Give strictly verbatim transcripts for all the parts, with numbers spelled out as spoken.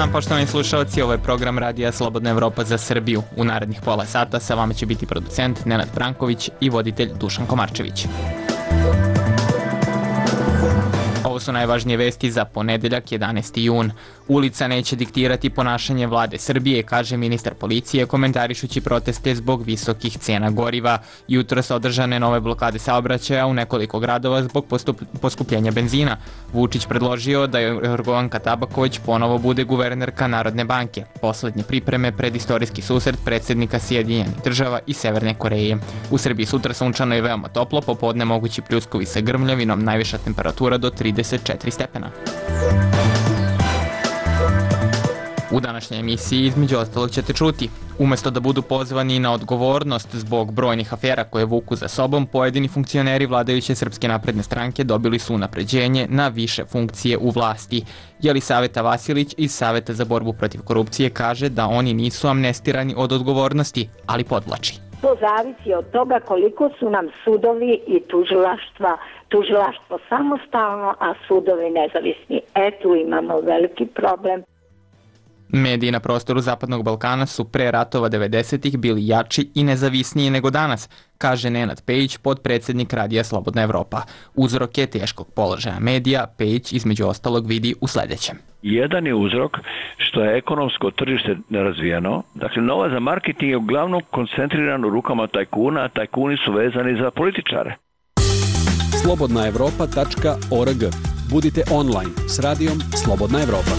dan, poštovani slušalci, ovo je program Radija Slobodna Evropa za Srbiju. U narednih pola sata sa vama će biti producent Nenad Branković i voditelj Dušan Komarčević. Ovo su najvažnije vesti za ponedeljak jedanaesti jun. Ulica neće diktirati ponašanje vlade Srbije, kaže ministar policije, komentarišući proteste zbog visokih cena goriva. Jutros održane nove blokade saobraćaja u nekoliko gradova zbog postup, poskupljenja benzina. Vučić predložio da Jorgovanka Tabaković ponovo bude guvernerka Narodne banke. Poslednje pripreme pred istorijski susret predsjednika Sjedinjenih država i Severne Koreje. U Srbiji sutra sunčano i veoma toplo, popodne mogući pljuskovi sa grmljavinom, najviša temperatura do trideset četiri stepena. U današnjoj emisiji između ostalog ćete čuti. Umesto da budu pozvani na odgovornost zbog brojnih afera koje vuku za sobom, pojedini funkcioneri vladajuće Srpske napredne stranke dobili su unapređenje na više funkcije u vlasti. Jelisaveta Vasilić iz Saveta za borbu protiv korupcije kaže da oni nisu amnestirani od odgovornosti, ali podvlači. To zavisi od toga koliko su nam sudovi i tužilaštva, tužilaštvo samostalno, a sudovi nezavisni. E, tu imamo veliki problem. Mediji na prostoru Zapadnog Balkana su pre ratova devedesetih bili jači i nezavisniji nego danas, kaže Nenad Pejić, potpredsjednik Radija Slobodna Evropa. Uzroke teškog položaja medija Pejić između ostalog vidi u sledećem. Jedan je uzrok što je ekonomsko tržište nerazvijeno. Dakle, novac za marketing je uglavnom koncentriran u rukama tajkuna, a tajkuni su vezani za političare. slobodna evropa tačka org. Budite online s radijom Slobodna Evropa.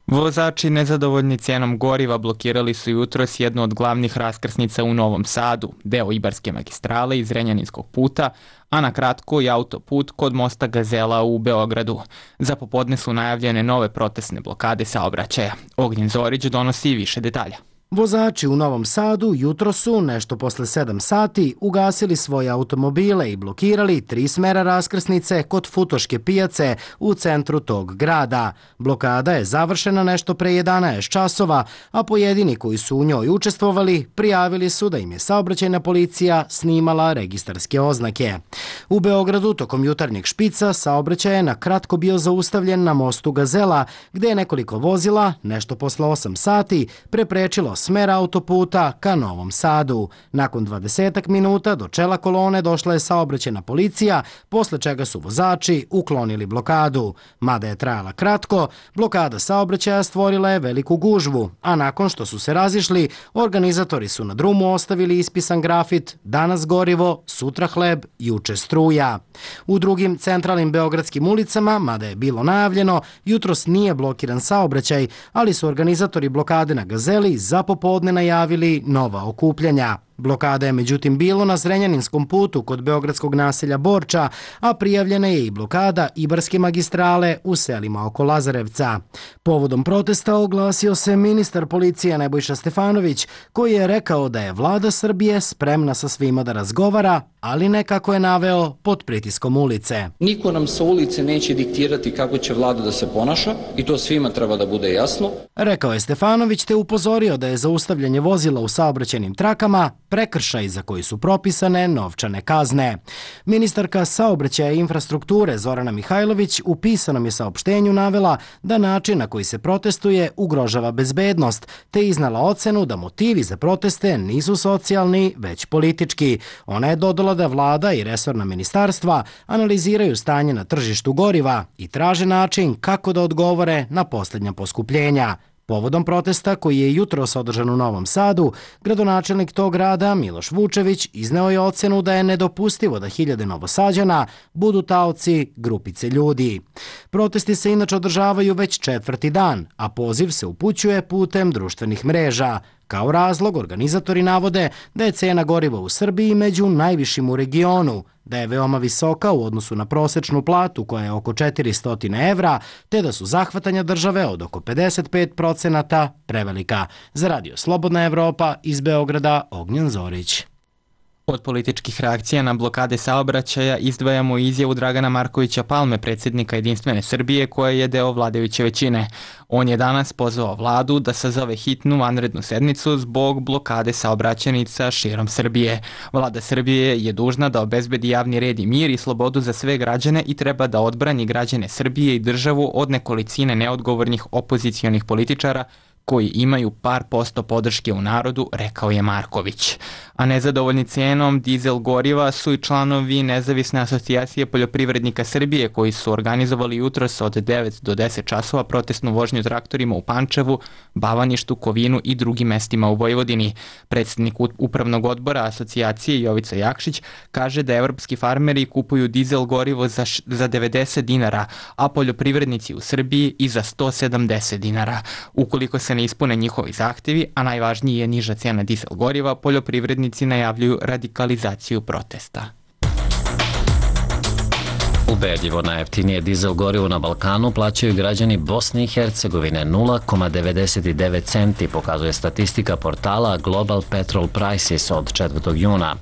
Vozači nezadovoljni cijenom goriva blokirali su jutros jednu od glavnih raskrsnica u Novom Sadu, deo Ibarske magistrale iz Renjaninskog puta, a na kratko i autoput kod mosta Gazela u Beogradu. Za popodne su najavljene nove protestne blokade saobraćaja. Ognjen Zorić donosi više detalja. Vozači u Novom Sadu jutro su, nešto posle sedam sati, ugasili svoje automobile i blokirali tri smera raskrsnice kod Futoške pijace u centru tog grada. Blokada je završena nešto pre jedanaest časova, a pojedini koji su u njoj učestvovali prijavili su da im je saobraćajna policija snimala registarske oznake. U Beogradu tokom jutarnjeg špica saobraćaj je na kratko bio zaustavljen na mostu Gazela, gde je nekoliko vozila, nešto posle osam sati, preprečilo smer autoputa ka Novom Sadu. Nakon dvadesetak minuta do čela kolone došla je saobraćajna policija, posle čega su vozači uklonili blokadu. Mada je trajala kratko, blokada saobraćaja stvorila je veliku gužvu, a nakon što su se razišli, organizatori su na drumu ostavili ispisan grafit "Danas gorivo, sutra hleb, juče struja". U drugim centralnim beogradskim ulicama, mada je bilo najavljeno, jutros nije blokiran saobraćaj, ali su organizatori blokade na Gazeli za popodne najavili nova okupljanja. Blokada je međutim bilo na Zrenjaninskom putu kod beogradskog naselja Borča, a prijavljena je i blokada Ibarske magistrale u selima oko Lazarevca. Povodom protesta oglasio se ministar policije Nebojša Stefanović, koji je rekao da je vlada Srbije spremna sa svima da razgovara, ali ne, kako je naveo, pod pritiskom ulice. Niko nam sa ulice neće diktirati kako će vlada da se ponaša i to svima treba da bude jasno. Rekao je Stefanović, te upozorio da je zaustavljanje vozila u saobraćajnim trakama prekršaj za koji su propisane novčane kazne. Ministarka saobraćaja i infrastrukture Zorana Mihajlović u pisanom je saopštenju navela da način na koji se protestuje ugrožava bezbednost, te iznala ocenu da motivi za proteste nisu socijalni, već politički. Ona je dodala da vlada i resorna ministarstva analiziraju stanje na tržištu goriva i traže način kako da odgovore na posljednja poskupljenja. Povodom protesta koji je jutros održan u Novom Sadu, gradonačelnik tog grada Miloš Vučević izneo je ocenu da je nedopustivo da hiljade Novosađana budu taoci grupice ljudi. Protesti se inače održavaju već četvrti dan, a poziv se upućuje putem društvenih mreža. Kao razlog, organizatori navode da je cena goriva u Srbiji među najvišim u regionu, da je veoma visoka u odnosu na prosečnu platu koja je oko četiristo evra, te da su zahvatanja države od oko pedeset pet procenata prevelika. Za Radio Slobodna Evropa iz Beograda, Ognjen Zorić. Od političkih reakcija na blokade saobraćaja izdvajamo izjavu Dragana Markovića Palme, predsjednika Jedinstvene Srbije, koja je deo vladajuće većine. On je danas pozvao vladu da sazove hitnu vanrednu sednicu zbog blokade saobraćajnica širom Srbije. Vlada Srbije je dužna da obezbedi javni red i mir i slobodu za sve građane i treba da odbrani građane Srbije i državu od nekolicine neodgovornih opozicionih političara koji imaju par posto podrške u narodu, rekao je Marković. A nezadovoljni cenom dizel goriva su i članovi Nezavisne asocijacije poljoprivrednika Srbije koji su organizovali jutros od devet do deset časova protestnu vožnju traktorima u Pančevu, Bavaništu, Kovinu i drugim mestima u Vojvodini. Predsjednik upravnog odbora asocijacije Jovica Jakšić kaže da evropski farmeri kupuju dizel gorivo za, za devedeset dinara, a poljoprivrednici u Srbiji i za sto sedamdeset dinara. Ukoliko se ne ispune njihovi zahtevi, a najvažniji je niža cena dizel goriva, poljoprivrednici najavljuju radikalizaciju protesta. Ubedljivo najjeftinije dizel gorivo na Balkanu plaćaju građani Bosne i Hercegovine nula zarez devedeset devet centi, pokazuje statistika portala Global Petrol Prices od četvrtog juna.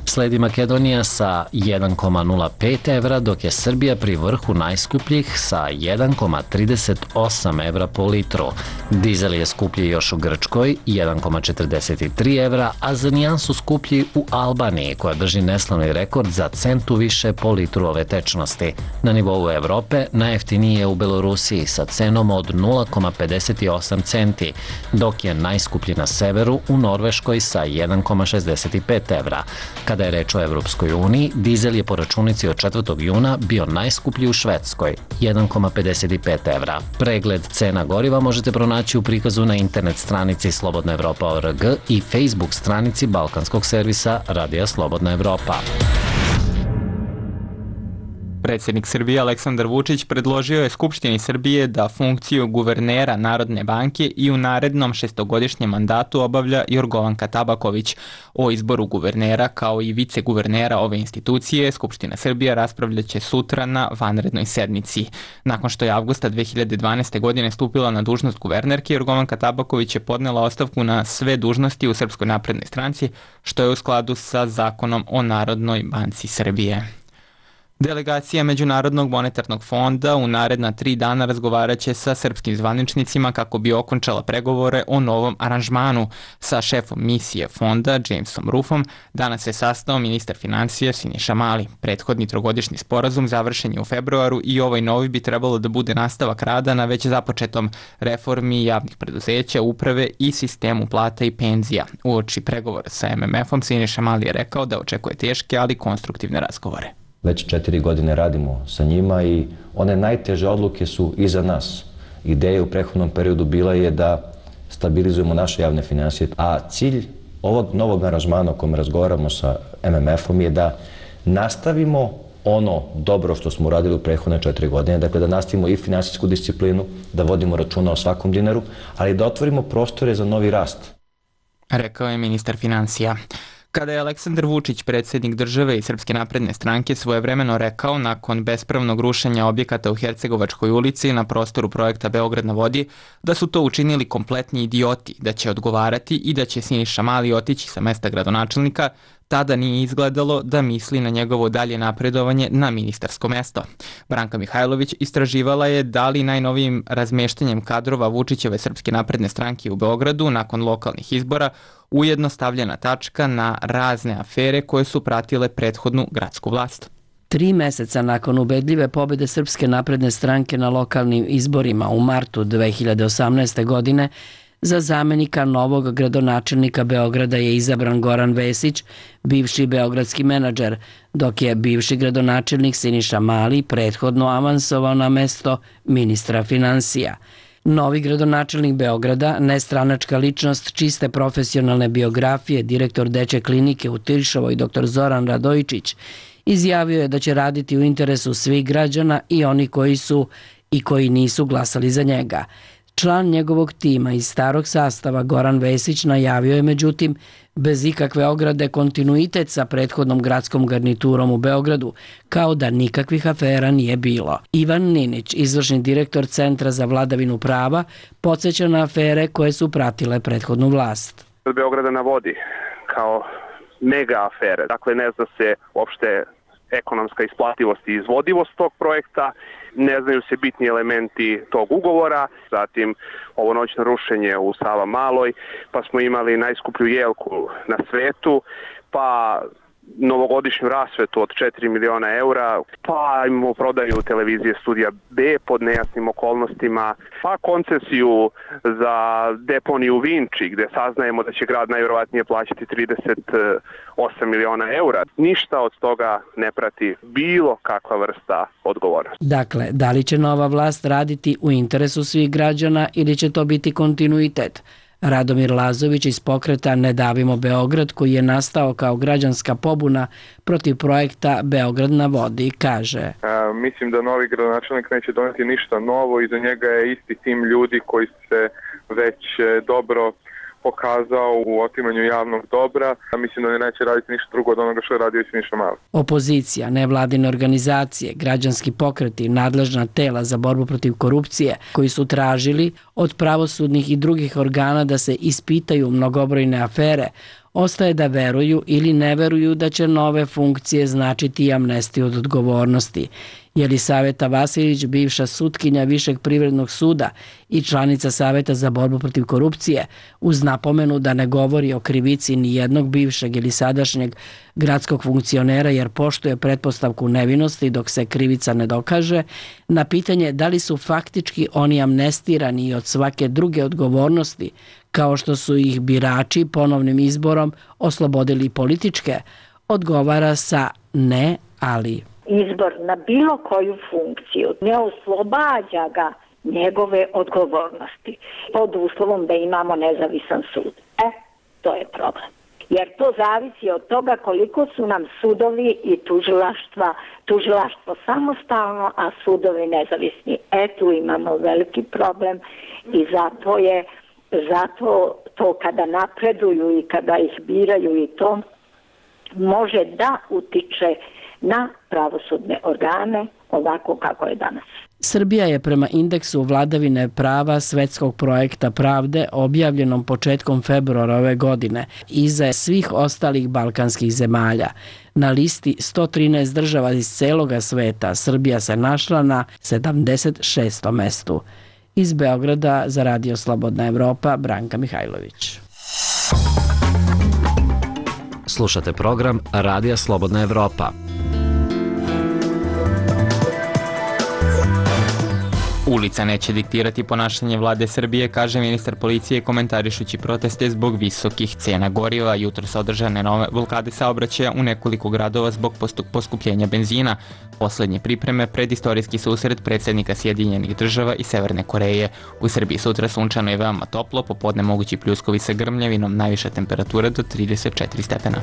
Sledi Makedonija sa jedan zarez nula pet evra, dok je Srbija pri vrhu najskupljih sa jedan zarez trideset osam evra po litru. Dizel je skuplji još u Grčkoj, jedan zarez četrdeset tri evra, a za nijansu skuplji u Albaniji, koja drži neslavni rekord za centu više po litru ove tečnosti. Na nivou Evrope najjeftiniji je u Belorusiji sa cenom od nula zarez pedeset osam centi, dok je najskuplji na severu u Norveškoj sa jedan zarez šezdeset pet evra. Kada je reč o Evropskoj uniji, dizel je po računici od četvrtog juna bio najskuplji u Švedskoj, jedan zarez pedeset pet evra. Pregled cena goriva možete pronaći u prikazu na internet stranici Slobodna Evropa O R G i Facebook stranici balkanskog servisa Radija Slobodna Evropa. Predsjednik Srbije Aleksandar Vučić predložio je Skupštini Srbije da funkciju guvernera Narodne banke i u narednom šestogodišnjem mandatu obavlja Jorgovanka Tabaković. O izboru guvernera kao i viceguvernera ove institucije Skupština Srbije raspravljaće sutra na vanrednoj sednici. Nakon što je avgusta dve hiljade dvanaeste. godine stupila na dužnost guvernerke, Jorgovanka Tabaković je podnela ostavku na sve dužnosti u Srpskoj naprednoj stranci, što je u skladu sa Zakonom o Narodnoj banci Srbije. Delegacija Međunarodnog monetarnog fonda u naredna tri dana razgovaraće sa srpskim zvaničnicima kako bi okončala pregovore o novom aranžmanu. Sa šefom misije fonda, Jamesom Ruffom, danas se sastao ministar financija Siniša Mali. Prethodni trogodišnji sporazum završen je u februaru i ovaj novi bi trebalo da bude nastavak rada na već započetom reformi javnih preduzeća, uprave i sistemu plata i penzija. Uoči pregovora sa M M F-om Siniša Mali je rekao da očekuje teške, ali konstruktivne razgovore. Već četiri godine radimo sa njima i one najteže odluke su iza nas. Ideja u prethodnom periodu bila je da stabilizujemo naše javne finansije, a cilj ovog novog aranžmana o kojem razgovaramo sa M M F-om je da nastavimo ono dobro što smo uradili u prethodne četiri godine, dakle da nastavimo i finansijsku disciplinu, da vodimo računa o svakom dinaru, ali da otvorimo prostore za novi rast. Rekao je ministar financija. Kada je Aleksandar Vučić, predsjednik države i Srpske napredne stranke, svojevremeno rekao nakon bespravnog rušenja objekata u Hercegovačkoj ulici na prostoru projekta Beograd na vodi, da su to učinili kompletni idioti, da će odgovarati i da će Siniša Mali otići sa mesta gradonačelnika, tada nije izgledalo da misli na njegovo dalje napredovanje na ministarsko mesto. Branka Mihajlović istraživala je da li najnovijim razmeštanjem kadrova Vučićeve Srpske napredne stranke u Beogradu nakon lokalnih izbora ujedno stavljena tačka na razne afere koje su pratile prethodnu gradsku vlast. Tri meseca nakon ubedljive pobjede Srpske napredne stranke na lokalnim izborima u martu dve hiljade osamnaeste. godine, za zamenika novog gradonačelnika Beograda je izabran Goran Vesić, bivši beogradski menadžer, dok je bivši gradonačelnik Siniša Mali prethodno avansovao na mesto ministra finansija. Novi gradonačelnik Beograda, nestranačka ličnost čiste profesionalne biografije, direktor dečje klinike u Tiršovoj dr Zoran Radojičić, izjavio je da će raditi u interesu svih građana i oni koji su i koji nisu glasali za njega. Član njegovog tima iz starog sastava Goran Vesić najavio je međutim bez ikakve ograde kontinuitet sa prethodnom gradskom garniturom u Beogradu, kao da nikakvih afera nije bilo. Ivan Ninić, izvršni direktor Centra za vladavinu prava, podsjeća na afere koje su pratile prethodnu vlast. Beograda na vodi kao mega afere. Dakle, ne zna se uopšte ekonomska isplativost i izvodivost tog projekta, ne znaju se bitni elementi tog ugovora, zatim ovo noćno rušenje u Savamaloj, pa smo imali najskuplju jelku na svetu, pa novogodišnju rasvetu od četiri miliona eura, pa imamo prodaju televizije Studija B pod nejasnim okolnostima, pa koncesiju za deponiju Vinči, gde saznajemo da će grad najvjerovatnije plaćati trideset osam miliona eura. Ništa od toga ne prati bilo kakva vrsta odgovornosti. Dakle, da li će nova vlast raditi u interesu svih građana ili će to biti kontinuitet? Radomir Lazović iz pokreta Ne davimo Beograd, koji je nastao kao građanska pobuna protiv projekta Beograd na vodi, kaže: e, Mislim da novi gradonačelnik neće doneti ništa novo, iza njega je isti tim ljudi koji se već dobro pokazao u otimanju javnog dobra, a mislim da ne neće raditi ništa drugo od onoga što je radio Siniša Mali. Opozicija, nevladine organizacije, građanski pokreti, nadležna tela za borbu protiv korupcije, koji su tražili od pravosudnih i drugih organa da se ispitaju mnogobrojne afere, ostaje da veruju ili ne veruju da će nove funkcije značiti amnestiju od odgovornosti. Jelisaveta Vasilić, bivša sutkinja Višeg privrednog suda i članica Saveta za borbu protiv korupcije, uz napomenu da ne govori o krivici ni jednog bivšeg ili sadašnjeg gradskog funkcionera jer poštuje pretpostavku nevinosti dok se krivica ne dokaže, na pitanje da li su faktički oni amnestirani i od svake druge odgovornosti, kao što su ih birači ponovnim izborom oslobodili političke, odgovara sa ne, ali. Izbor na bilo koju funkciju ne oslobađa ga njegove odgovornosti pod uslovom da imamo nezavisan sud. E, to je problem. Jer to zavisi od toga koliko su nam sudovi i tužilaštva, tužilaštvo samostalno, a sudovi nezavisni. E, tu imamo veliki problem i zato je, zato to kada napreduju i kada ih biraju i to može da utiče na pravosudne organe ovako kako je danas. Srbija je prema indeksu vladavine prava Svetskog projekta pravde objavljenom početkom februara ove godine iza svih ostalih balkanskih zemalja. Na listi sto trinaest država iz celoga sveta Srbija se našla na sedamdeset šestom mestu. Iz Beograda za Radio Slobodna Evropa, Branka Mihajlović. Slušate program Radija Slobodna Evropa. Ulica neće diktirati ponašanje vlade Srbije, kaže ministar policije komentarišući proteste zbog visokih cena goriva. Jutros održane nove blokade saobraćaja u nekoliko gradova zbog poskupljenja benzina. Poslednje pripreme pred istorijski susret predsjednika Sjedinjenih država i Severne Koreje. U Srbiji sutra sunčano je veoma toplo, popodne mogući pljuskovi sa grmljavinom, najviša temperatura do trideset četiri stepena.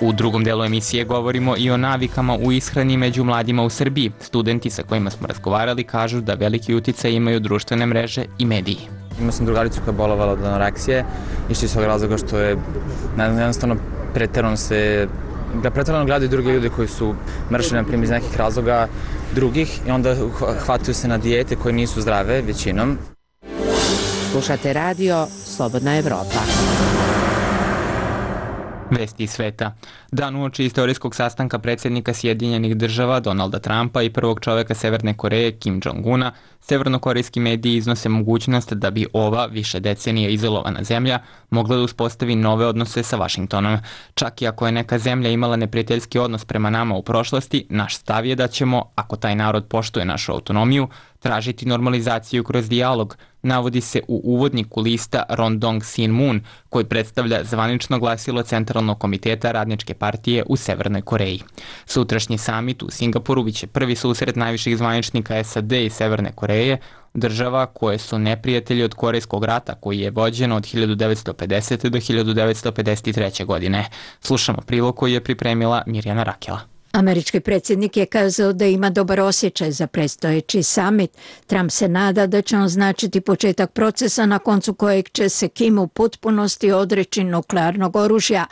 U drugom delu emisije govorimo i o navikama u ishrani među mladima u Srbiji. Studenti sa kojima smo razgovarali kažu da veliki uticaj imaju društvene mreže i mediji. Imao sam drugaricu koja je bolovala od anoreksije, išli iz svog razloga što je jednostavno preterano se da preterano gledaju druge ljude koji su mršeni, na primjer, iz nekih razloga drugih i onda hvataju se na dijete koje nisu zdrave većinom. Slušate radio Slobodna Evropa. Vesti iz sveta. Dan uoči istorijskog sastanka predsjednika Sjedinjenih država Donalda Trumpa i prvog čoveka Severne Koreje Kim Jong-una, severnokorejski mediji iznose mogućnost da bi ova više decenija izolovana zemlja mogla da uspostavi nove odnose sa Vašingtonom. Čak i ako je neka zemlja imala neprijateljski odnos prema nama u prošlosti, naš stav je da ćemo, ako taj narod poštuje našu autonomiju, tražiti normalizaciju kroz dijalog, navodi se u uvodniku lista Rondong Sin Moon, koji predstavlja zvanično glasilo Centralnog komiteta Radničke partije u Severnoj Koreji. Sutrašnji samit u Singapuru biće prvi susret najviših zvaničnika S A D i Severne Koreje, država koje su neprijatelji od Korejskog rata koji je vođen od hiljadu devetsto pedesete. do hiljadu devetsto pedeset treće. godine. Slušamo prilog koji je pripremila Mirjana Rakela. Američki predsjednik je kazao da ima dobar osjećaj za predstojeći samit. Trump se nada da će on značiti početak procesa na koncu kojeg će se Kim u potpunosti odreći nuklearnog oružja.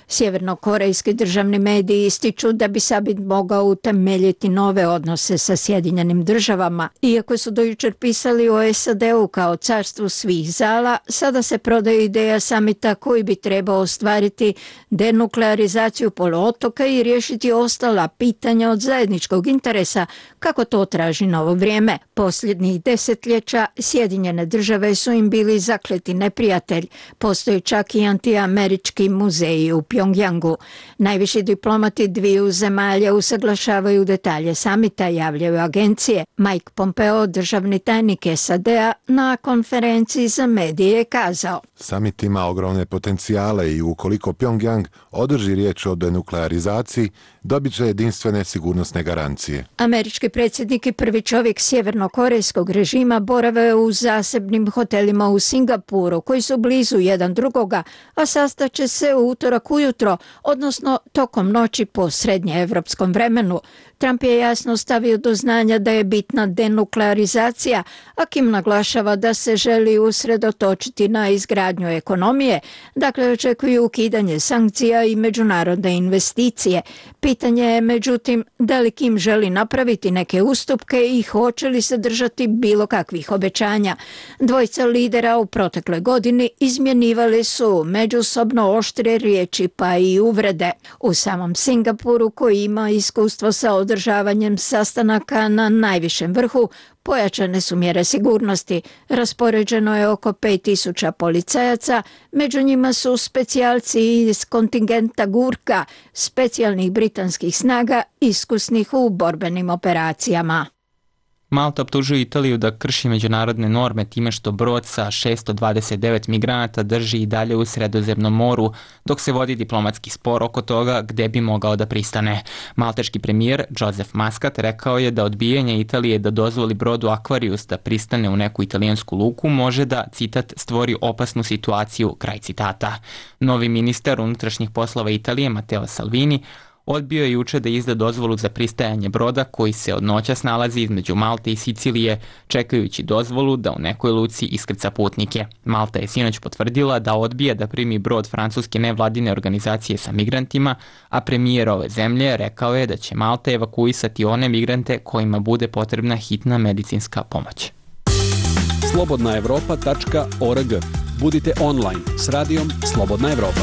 Sjevernokorejski državni mediji ističu da bi Samit mogao utemeljiti nove odnose sa Sjedinjenim državama. Iako su do jučer pisali o S A D-u kao carstvu svih zala, sada se prodaje ideja samita koji bi trebao ostvariti denuklearizaciju poluotoka i riješiti ostala pitanja od zajedničkog interesa, kako to traži novo vrijeme. Posljednjih desetljeća Sjedinjene države su im bili zakleti neprijatelj. Postoji čak i antiamerički muzeji u Pjongjangu. Najviši diplomati dviju zemalja usaglašavaju detalje samita, javljaju agencije. Mike Pompeo, državni tajnik S A D-a, na konferenciji za medije je kazao: Samit ima ogromne potencijale i ukoliko Pjongjang održi riječ o denuklearizaciji, dobit će jedinstvene sigurnosne garancije. Američki predsjednik i prvi čovjek sjevernokorejskog režima borave u zasebnim hotelima u Singapuru, koji su blizu jedan drugoga, a sastaće se u utorak ujutro, odnosno tokom noći po srednjeevropskom vremenu. Trump je jasno stavio do znanja da je bitna denuklearizacija, a Kim naglašava da se želi usredotočiti na izgradnju ekonomije, dakle očekuju ukidanje sankcija i međunarodne investicije. Pitanje je međutim da li Kim želi napraviti neke ustupke i hoće li se držati bilo kakvih obećanja. Dvojica lidera u protekloj godini izmjenjivali su međusobno oštre riječi pa i uvrede. U samom Singapuru, koji ima iskustvo sa održavanjem sastanaka na najvišem vrhu, pojačane su mjere sigurnosti. Raspoređeno je oko pet tisuća policajaca, među njima su specijalci iz kontingenta Gurka, specijalnih britanskih snaga iskusnih u borbenim operacijama. Malta optužuje Italiju da krši međunarodne norme time što brod sa šesto dvadeset devet migranata drži i dalje u Sredozemnom moru, dok se vodi diplomatski spor oko toga gde bi mogao da pristane. Malteški premijer Joseph Muscat rekao je da odbijanje Italije da dozvoli brodu Aquarius da pristane u neku italijansku luku može da, citat, stvori opasnu situaciju, kraj citata. Novi ministar unutrašnjih poslova Italije, Matteo Salvini, odbio je juče da izda dozvolu za pristajanje broda koji se od noćas nalazi između Malte i Sicilije, čekajući dozvolu da u nekoj luci iskrca putnike. Malta je sinoć potvrdila da odbija da primi brod francuske nevladine organizacije sa migrantima, a premijer ove zemlje rekao je da će Malta evakuisati one migrante kojima bude potrebna hitna medicinska pomoć. slobodna evropa tačka org. Budite online s radijom Slobodna Evropa.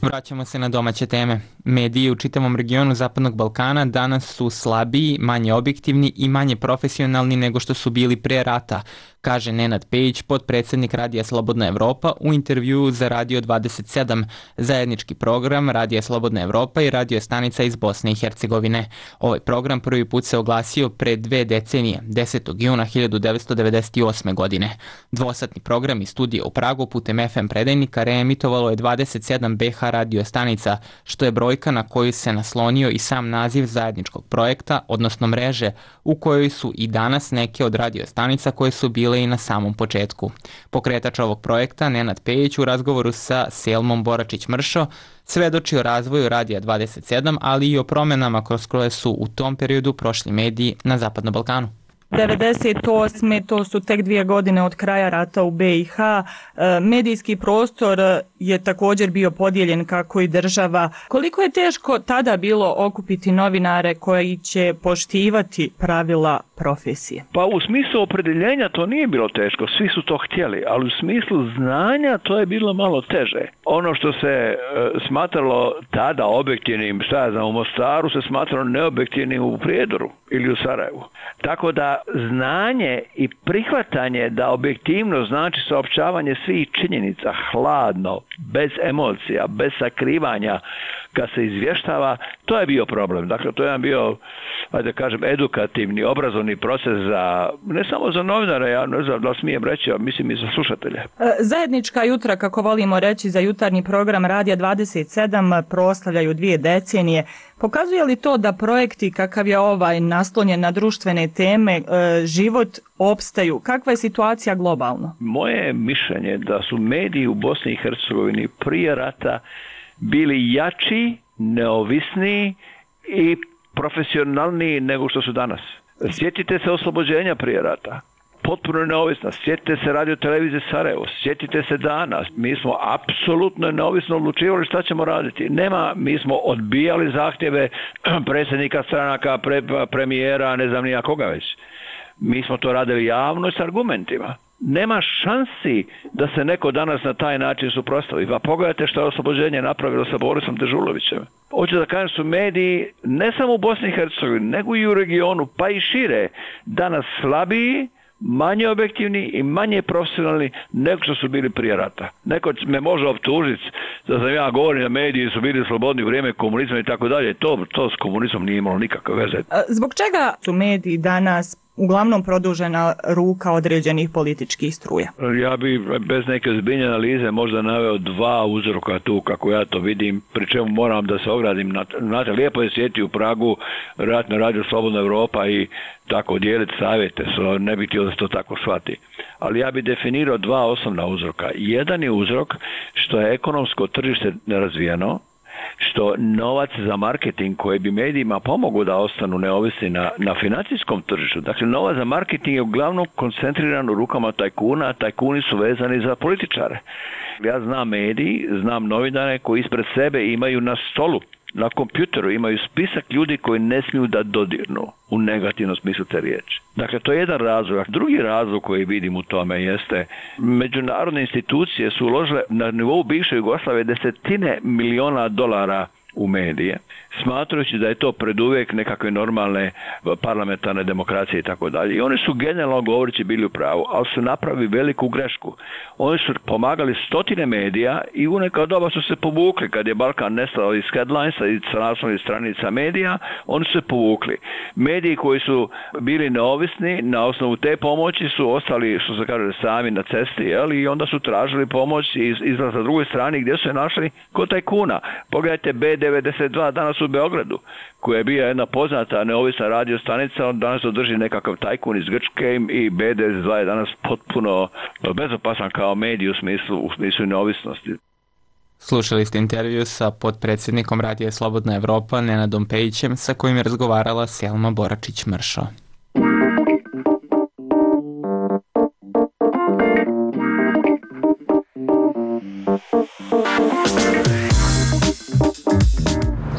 Vraćamo se na domaće teme. Mediji u čitavom regionu Zapadnog Balkana danas su slabiji, manje objektivni i manje profesionalni nego što su bili pre rata, kaže Nenad Pejić, potpredsjednik Radija Slobodna Evropa u intervjuu za Radio dvadeset sedam, zajednički program Radija Slobodna Evropa i radio stanica iz Bosne i Hercegovine. Ovaj program prvi put se oglasio pre dve decenije, desetog juna hiljadu devetsto devedeset osme. godine. Dvosatni program iz studija u Pragu putem F M predajnika reemitovalo je dvadeset sedam B H radio stanica, što je brojka na koju se naslonio i sam naziv zajedničkog projekta, odnosno mreže, u kojoj su i danas neke od radio stanica koje su bile i na samom početku. Pokretač ovog projekta, Nenad Pejić, u razgovoru sa Selmom Boračić-Mršo, svedoči o razvoju Radija dvadeset sedam, ali i o promenama kroz koje su u tom periodu prošli mediji na Zapadnom Balkanu. devedeset osme to su tek dvije godine od kraja rata u B i H. Medijski prostor je također bio podijeljen kako i država. Koliko je teško tada bilo okupiti novinare koji će poštivati pravila profesije? Pa u smislu opredeljenja to nije bilo teško, svi su to htjeli, ali u smislu znanja to je bilo malo teže. Ono što se e, smatralo tada objektivnim, šta ja znam, u Mostaru se smatralo neobjektivnim u Prijedoru ili u Sarajevu. Tako da znanje i prihvatanje da objektivno znači saopćavanje svih činjenica, hladno, bez emocija, bez sakrivanja, kad se izvještava, to je bio problem. Dakle, to je bio, ajde kažem, edukativni, obrazovni proces za, ne samo za novinare, ja ne znam da li smijem reći, a mislim i za slušatelje. Zajednička jutra, kako volimo reći, za jutarnji program Radija dvadeset sedam proslavljaju dvije decenije. Pokazuje li to da projekti kakav je ovaj naslonjen na društvene teme, život opstaju? Kakva je situacija globalno? Moje mišljenje da su mediji u Bosni i Hercegovini prije rata bili jači, neovisniji i profesionalniji nego što su danas. Sjetite se oslobođenja prije rata. potpuno neovisna. Sjetite se Radio televizije Sarajevo, sjetite se Dana. Mi smo apsolutno neovisno odlučivali šta ćemo raditi. Nema, mi smo odbijali zahtjeve predsjednika stranaka, pre, premijera, ne znam nija koga već. Mi smo to radili javno s argumentima. Nema šansi da se neko danas na taj način suprotstavi. Pa pogledajte što je oslobođenje napravilo sa Borisom Dežulovićem. Hoću da kažem su mediji ne samo u Bosni i Hercegovini, nego i u regionu, pa i šire, danas slabiji, manje objektivni i manje profesionalni nego što su bili prije rata. Neko me može optužiti da sam ja govorim da mediji su bili slobodni u vrijeme komunizma i tako dalje. To, to s komunizmom nije imalo nikakve veze. Zbog čega su mediji danas uglavnom produžena ruka određenih političkih struja? Ja bi bez neke ozbiljne analize možda naveo dva uzroka tu kako ja to vidim, pri čemu moram da se ogradim. Znate, lijepo je sjeti u Pragu, vjerojatno radio Slobodna Evropa i tako dijeliti savjete, so ne bih htio da se to tako shvati. Ali ja bih definirao dva osnovna uzroka. Jedan je uzrok što je ekonomsko tržište nerazvijeno, što novac za marketing koji bi medijima pomogao da ostanu neovisni na, na financijskom tržištu. Dakle, novac za marketing je uglavnom koncentriran u rukama tajkuna, a tajkuni su vezani za političare. Ja znam mediji, znam novinare koji ispred sebe imaju na stolu, na kompjuteru imaju spisak ljudi koji ne smiju da dodirnu u negativnom smislu te riječi. Dakle, to je jedan razlog. Drugi razlog koji vidim u tome jeste međunarodne institucije su uložile na nivou bivše Jugoslavije desetine miliona dolara u medije, smatrajući da je to preduvijek nekakve normalne parlamentarne demokracije i tako dalje. I oni su generalno govoreći bili u pravu, ali su napravili veliku grešku. Oni su pomagali stotine medija i u neka doba su se povukli. Kad je Balkan nestao iz headlinesa i sa naslovnih stranica medija, oni su se povukli. Mediji koji su bili neovisni na osnovu te pomoći su ostali, što se kaže, sami na cesti, jel? I onda su tražili pomoć iz, izraz na drugoj strani gdje su je našli kod tajkuna. Pogledajte B devedeset dva danas u Beogradu, koja je bila jedna poznata neovisna radio stanica, on danas održi nekakav tajkun iz Grčke i B devedeset dva je danas potpuno bezopasan kao medij u smislu, u smislu neovisnosti. Slušali ste intervju sa potpredsjednikom Radija Slobodna Evropa Nenadom Pejićem, sa kojim je razgovarala Selma Boračić-Mršo.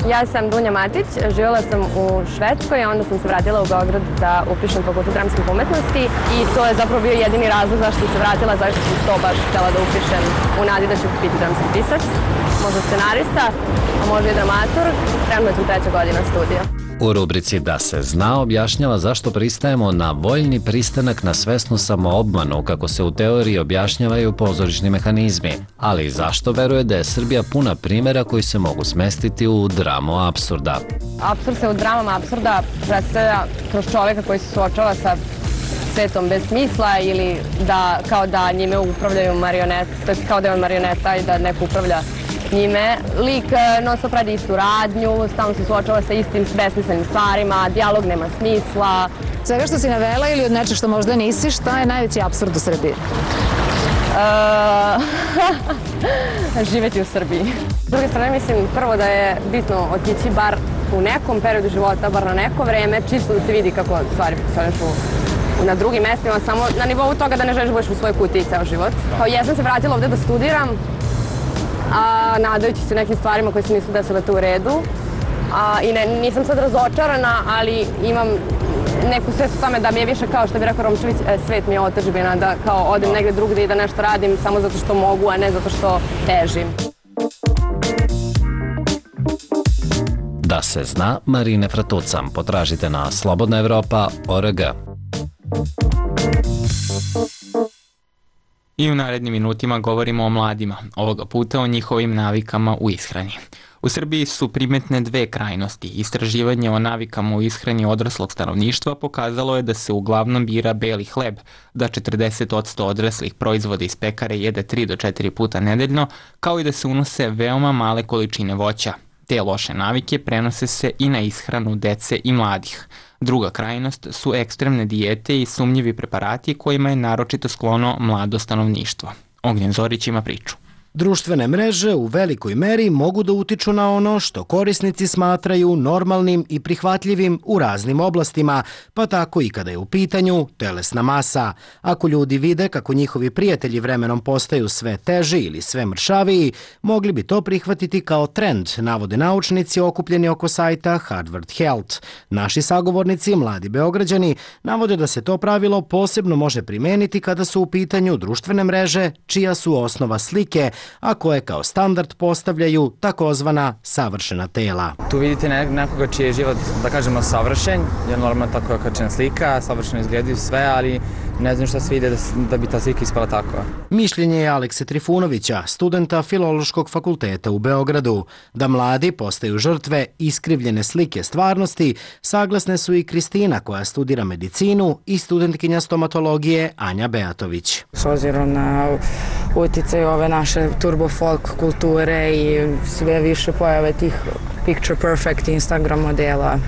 Ja sam Dunja Matić, živjela sam u Švedskoj, a onda sam se vratila u Beograd da upišem fakultet dramskih umetnosti i to je zapravo bio jedini razlog zašto sam se vratila, zašto sam to baš htjela da upišem u nadi da ću biti dramski pisac, možda scenarista, a možda i dramaturg, trenutno je tu treća godina studija. U rubrici Da se zna objašnjava zašto pristajemo na voljni pristanak na svesnu samoobmanu, kako se u teoriji objašnjavaju pozorišni mehanizmi, ali i zašto veruje da je Srbija puna primjera koji se mogu smestiti u dramu apsurda. Apsurd se u dramama apsurda predstavlja kroz čovjeka koji se suočava sa svetom bez smisla ili da kao da njime upravljaju marionete, to je kao da je on marioneta i da neko upravlja njime. Lik non stop radi istu radnju, stalno se suočava sa istim besmislenim stvarima, dijalog nema smisla. Svega što si navela ili od nečeg što možda nisi, šta je najveći apsurd u Srbiji? Uh, živjeti u Srbiji. S druge strane, mislim prvo da je bitno otići bar u nekom periodu života, bar na neko vreme, čisto da se vidi kako stvari funkcionišu na drugim mestima, samo na nivou toga da ne želiš budeš u svojoj kutiji ceo život. Kao ja sam se vratila ovdje da studiram, a nadajući se nekim stvarima koje se nisu desile tu u redu. A, I ne, nisam sad razočarana, ali imam neku svest u tome da mi je više, kao što bi rekao Romčević, svet mi je otadžbina, da kao odem negdje drugdje i da nešto radim samo zato što mogu, a ne zato što težim. Da se zna, Marine Fratucam. Potražite na slobodna evropa tačka org. I u narednim minutima govorimo o mladima, ovoga puta o njihovim navikama u ishrani. U Srbiji su primetne dve krajnosti. Istraživanje o navikama u ishrani odraslog stanovništva pokazalo je da se uglavnom bira beli hleb, da četrdeset posto odraslih proizvoda iz pekare jede tri do četiri puta nedeljno, kao i da se unose veoma male količine voća. Te loše navike prenose se i na ishranu dece i mladih. Druga krajnost su ekstremne dijete i sumnjivi preparati kojima je naročito sklono mlado stanovništvo. Ognjen Zorić ima priču. Društvene mreže u velikoj meri mogu da utiču na ono što korisnici smatraju normalnim i prihvatljivim u raznim oblastima, pa tako i kada je u pitanju telesna masa. Ako ljudi vide kako njihovi prijatelji vremenom postaju sve teži ili sve mršaviji, mogli bi to prihvatiti kao trend, navode naučnici okupljeni oko sajta Harvard Health. Naši sagovornici, mladi Beograđani, navode da se to pravilo posebno može primeniti kada su u pitanju društvene mreže, čija su osnova slike, a koje kao standard postavljaju takozvana savršena tela. Tu vidite nekoga čiji je život, da kažemo, savršen, je normalno tako je kačena slika, savršeno izgledaju sve, ali ne znam šta se vide da, da bi ta slika ispala tako. Mišljenje je Alekse Trifunovića, studenta Filološkog fakulteta u Beogradu. Da mladi postaju žrtve iskrivljene slike stvarnosti, saglasne su i Kristina koja studira medicinu i studentkinja stomatologije Anja Beatović. S obzirom na uticaj ove naše turbo folk kulture i sve više pojave tih picture perfect Instagram modela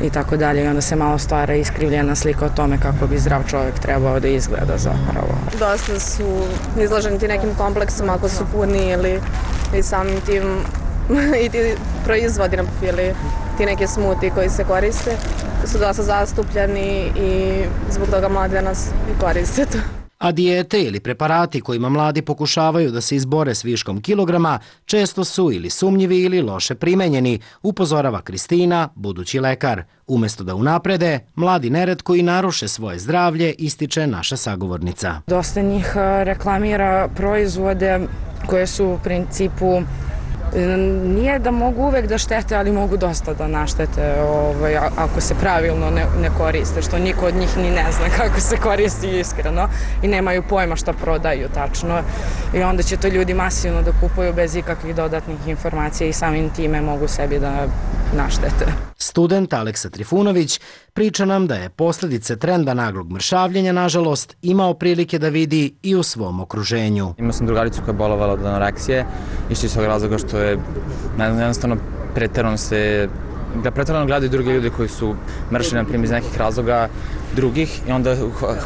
i tako dalje, i onda se malo stvara iskrivljena slika o tome kako bi zdrav čovjek trebao da izgleda zapravo. Dosta su izloženi ti nekim kompleksom ako su puni ili i samim tim i ti proizvodi ili ti neke smuti koji se koriste su dosta zastupljeni i zbog toga mladi danas i koriste to. A dijete ili preparati kojima mladi pokušavaju da se izbore s viškom kilograma često su ili sumnjivi ili loše primenjeni, upozorava Kristina, budući lekar. Umesto da unaprede, mladi neretko i naruše svoje zdravlje, ističe naša sagovornica. Dosta njih reklamira proizvode koje su u principu nije da mogu uvek da štete, ali mogu dosta da naštete ovaj, ako se pravilno ne, ne koriste, što niko od njih ni ne zna kako se koristi iskreno i nemaju pojma šta prodaju tačno i onda će to ljudi masivno da kupuju bez ikakvih dodatnih informacija i samim time mogu sebi da naštete. Student Aleksa Trifunović priča nam da je posljedice trenda naglog mršavljenja, nažalost, imao prilike da vidi i u svom okruženju. Imao sam drugaricu koja je bolovala od anoreksije, išli iz tog razloga što je jednostavno preterano se, da preterano gledaju drugi ljudi koji su mršli, na primjer, iz nekih razloga drugih i onda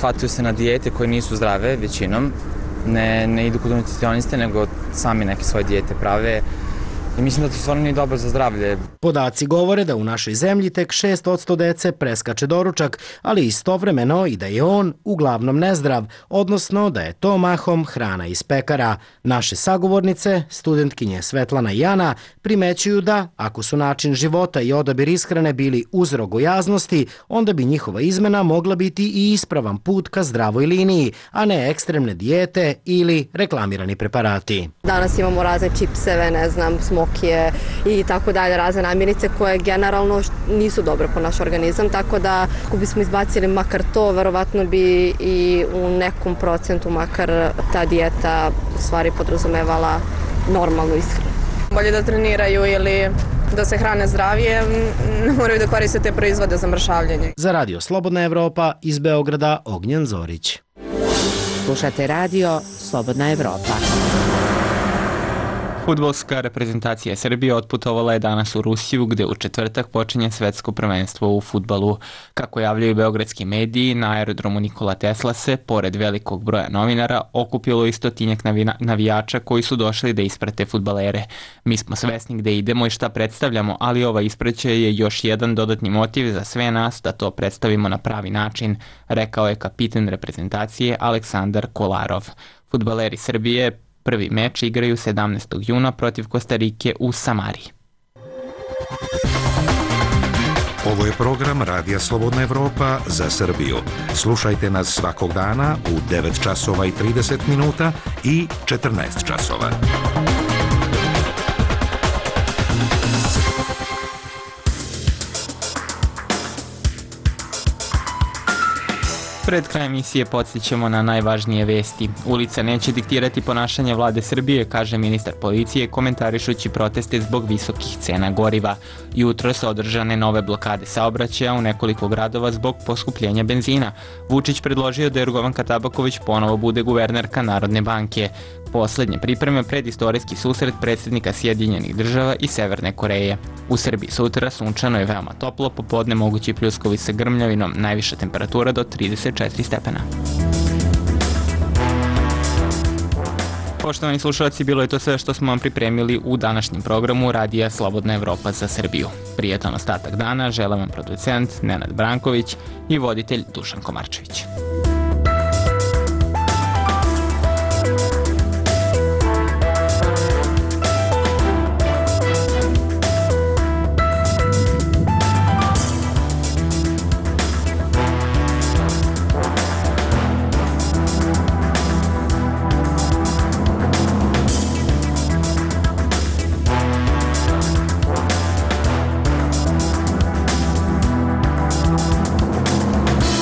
hvataju se na dijete koje nisu zdrave većinom, ne, ne idu kod nutricioniste, nego sami neke svoje dijete prave. I mislim da to stvarno nije dobro za zdravlje. Podaci govore da u našoj zemlji tek šest posto dece preskače doručak, ali istovremeno i da je on uglavnom nezdrav, odnosno da je to mahom hrana iz pekara. Naše sagovornice, studentkinje Svetlana i Ana, primećuju da, ako su način života i odabir ishrane bili uzrok gojaznosti, onda bi njihova izmena mogla biti i ispravan put ka zdravoj liniji, a ne ekstremne dijete ili reklamirani preparati. Danas imamo razne čipseve, ne znam, smokije i tako dalje, razne namirnice koje generalno nisu dobre po naš organizam, tako da ako bismo izbacili makar to, verovatno bi i u nekom procentu makar ta dijeta u stvari podrazumevala normalnu ishranu. Bolje da treniraju ili da se hrane zdravije, ne moraju da koriste te proizvode za mršavljenje. Za Radio Slobodna Evropa iz Beograda, Ognjen Zorić. Slušate Radio Slobodna Evropa. Fudbalska reprezentacija Srbije otputovala je danas u Rusiju, gde u četvrtak počinje svetsko prvenstvo u fudbalu. Kako javljaju beogradski mediji, na aerodromu Nikola Tesla se, pored velikog broja novinara, okupilo i stotinjak navijača koji su došli da isprate fudbalere. Mi smo svesni gde idemo i šta predstavljamo, ali ova ispraćaj je još jedan dodatni motiv za sve nas da to predstavimo na pravi način, rekao je kapitan reprezentacije Aleksandar Kolarov. Fudbaleri Srbije prvi meč igraju sedamnaestog juna protiv Kostarike u Samari. Ovo je program Radija Slobodna Evropa za Srbiju. Slušajte nas svakog dana u devet časova i trideset minuta i četrnaest časova. Pred krajem emisije podsjećamo na najvažnije vesti. Ulica neće diktirati ponašanje vlade Srbije, kaže ministar policije, komentarišući proteste zbog visokih cena goriva. Jutro su održane nove blokade saobraćaja u nekoliko gradova zbog poskupljenja benzina. Vučić predložio da Jorgovanka Tabaković ponovo bude guvernerka Narodne banke. Poslednje pripreme pred istorijski susret predsjednika Sjedinjenih država i Severne Koreje. U Srbiji sutra sunčano je veoma toplo, popodne mogući pljuskovi sa grmljavinom, najviša temperatura do trideset četiri stepena. Poštovani slušalci, bilo je to sve što smo vam pripremili u današnjem programu Radija Slobodna Evropa za Srbiju. Prijetan ostatak dana žele vam producent Nenad Branković i voditelj Dušan Komarčević.